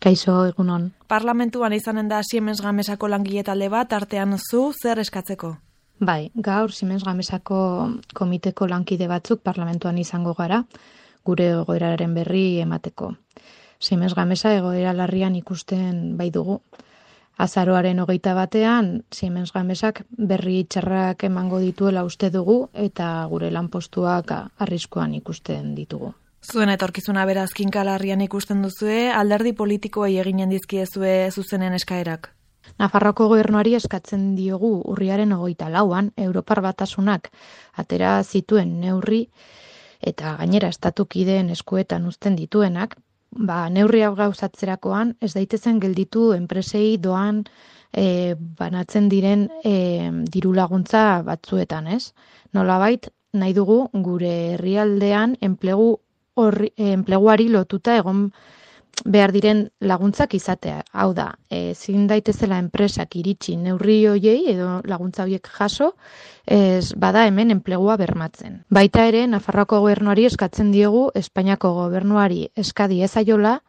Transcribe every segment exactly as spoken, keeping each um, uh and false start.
Kaixo, egunon. Parlamentuan izanen da Siemens Gamesako langile talde bat, artean zu zer eskatzeko? Bai, gaur Siemens Gamesako komiteko lankide batzuk parlamentuan izango gara, gure egoeraren berri emateko. Siemens Gamesa egoera larrian ikusten bai dugu. Azaroaren hogeita batean, Siemens Gamesak berri txarrak emango dituela uste dugu eta gure lanpostuak arriskuan ikusten ditugu. Zuen etorkizuna beraz kinkalarrian ikusten duzue, alderdi politikoei eginen dizkiezue zuzenen eskaerak. Nafarroako gobernuari eskatzen diogu urriaren hogeita lauan, Europar Batasunak atera zituen neurri eta gainera estatukideen eskuetan uzten dituenak, ba, neurri hau gauzatzerakoan ez daitezen gelditu enpresei doan e, banatzen diren e, diru laguntza batzuetan, ez? Nolabait nahi dugu gure herrialdean enplegu horri, enpleguari lotuta egon behar diren laguntzak izatea. Hau da, ezin daitezela enpresak iritsi neurri hoiei edo laguntza horiek jaso, ez bada hemen enplegua bermatzen. Baita ere, Nafarroako gobernuari eskatzen diogu Espainiako gobernuari eskadi ezaiola,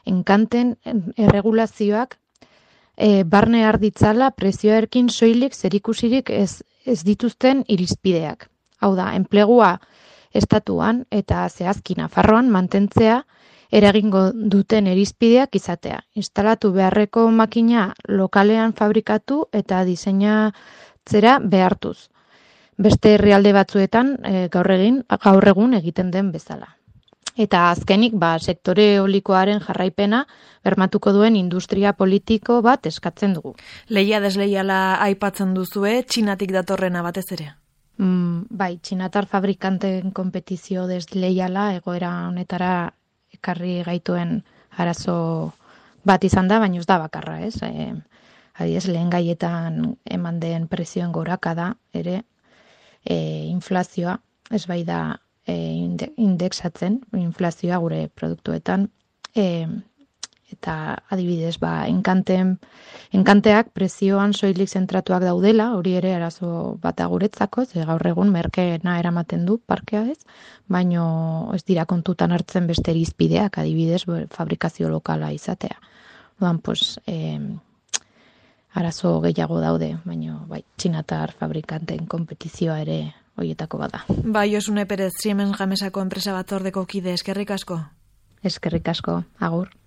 enkanten erregulazioak e, barne arditzala prezioarekin soilik zerikusirik ez, ez dituzten irizpideak. Hau da, enplegua estatuan eta zehazki Nafarroan mantentzea eragingo duten irizpideak izatea. Instalatu beharreko makina lokalean fabrikatu eta diseinatzera behartuz. Beste herrialde batzuetan e, gaur egin gaur egun egiten den bezala. Eta azkenik, ba, sektore eolikoaren jarraipena bermatuko duen industria politiko bat eskatzen dugu. Lehia desleiala aipatzen duzue, Txinatik datorrena batez ere. Mm, bai, txinatar fabrikanten konpetizio desleiala egoera honetara ekarri gaituen arazo bat izan da, baina ez da bakarra, ez? E, adiez, lehen gaietan eman den prezioen gorakada ere e, inflazioa, ez bai da e, indexatzen, inflazioa gure produktuetan, e, eta adibidez, ba, enkanten, enkanteak prezioan soilik zentratuak daudela, hori ere arazo bat guretzako, ze gaur egun merkeena eramaten du parkea ez, baino ez dira kontutan hartzen beste irizpideak, adibidez, fabrikazio lokala izatea. Odan, pues, eh, arazo gehiago daude, baino bai, txinatar fabrikanten konpetizioa ere horietako bada. Bai, Josune Perez, Siemens Gamesako enpresa batzordeko kide, eskerrik asko. Eskerrik asko, agur.